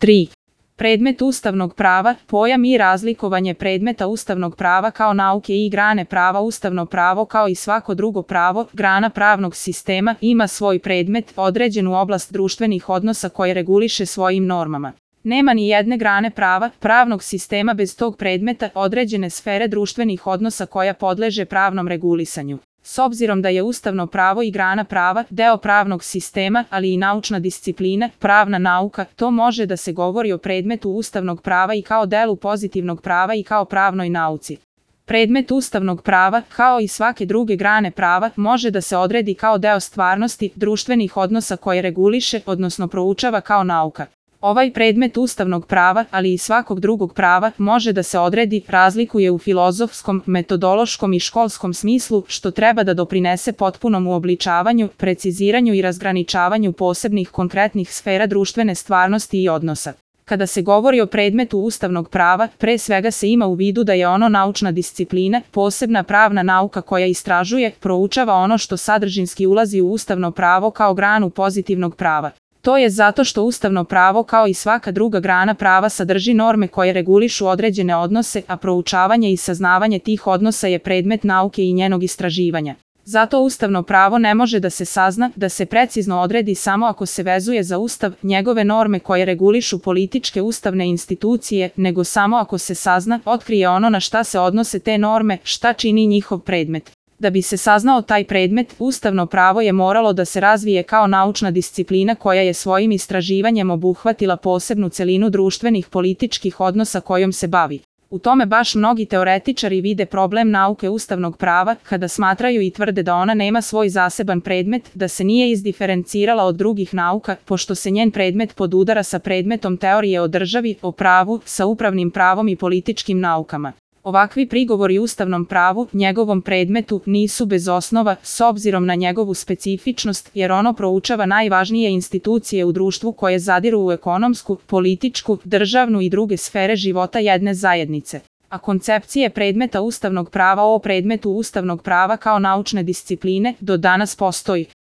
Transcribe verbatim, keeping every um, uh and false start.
tri. Predmet ustavnog prava, pojam i razlikovanje predmeta ustavnog prava kao nauke i grane prava. Ustavno pravo, kao i svako drugo pravo, grana pravnog sistema, ima svoj predmet, određenu oblast društvenih odnosa koje reguliše svojim normama. Nema ni jedne grane prava, pravnog sistema bez tog predmeta, određene sfere društvenih odnosa koja podleže pravnom regulisanju. S obzirom da je ustavno pravo i grana prava deo pravnog sistema, ali i naučna disciplina, pravna nauka, to može da se govori o predmetu ustavnog prava i kao delu pozitivnog prava i kao pravnoj nauci. Predmet ustavnog prava, kao i svake druge grane prava, može da se odredi kao deo stvarnosti, društvenih odnosa koje reguliše, odnosno proučava kao nauka. Ovaj predmet ustavnog prava, ali i svakog drugog prava, može da se odredi, razlikuje u filozofskom, metodološkom i školskom smislu, što treba da doprinese potpunom uobličavanju, preciziranju i razgraničavanju posebnih konkretnih sfera društvene stvarnosti i odnosa. Kada se govori o predmetu ustavnog prava, pre svega se ima u vidu da je ono naučna disciplina, posebna pravna nauka koja istražuje, proučava ono što sadržinski ulazi u ustavno pravo kao granu pozitivnog prava. To je zato što ustavno pravo, kao i svaka druga grana prava, sadrži norme koje regulišu određene odnose, a proučavanje i saznavanje tih odnosa je predmet nauke i njenog istraživanja. Zato ustavno pravo ne može da se sazna, da se precizno odredi samo ako se vezuje za Ustav, njegove norme koje regulišu političke ustavne institucije, nego samo ako se sazna, otkrije ono na šta se odnose te norme, šta čini njihov predmet. Da bi se saznao taj predmet, ustavno pravo je moralo da se razvije kao naučna disciplina koja je svojim istraživanjem obuhvatila posebnu celinu društvenih političkih odnosa kojom se bavi. U tome baš mnogi teoretičari vide problem nauke ustavnog prava, kada smatraju i tvrde da ona nema svoj zaseban predmet, da se nije izdiferencirala od drugih nauka, pošto se njen predmet podudara sa predmetom teorije o državi, o pravu, sa upravnim pravom i političkim naukama. Ovakvi prigovori ustavnom pravu, njegovom predmetu, nisu bez osnova, s obzirom na njegovu specifičnost, jer ono proučava najvažnije institucije u društvu koje zadiru u ekonomsku, političku, državnu i druge sfere života jedne zajednice. A koncepcije predmeta ustavnog prava o predmetu ustavnog prava kao naučne discipline do danas postoji.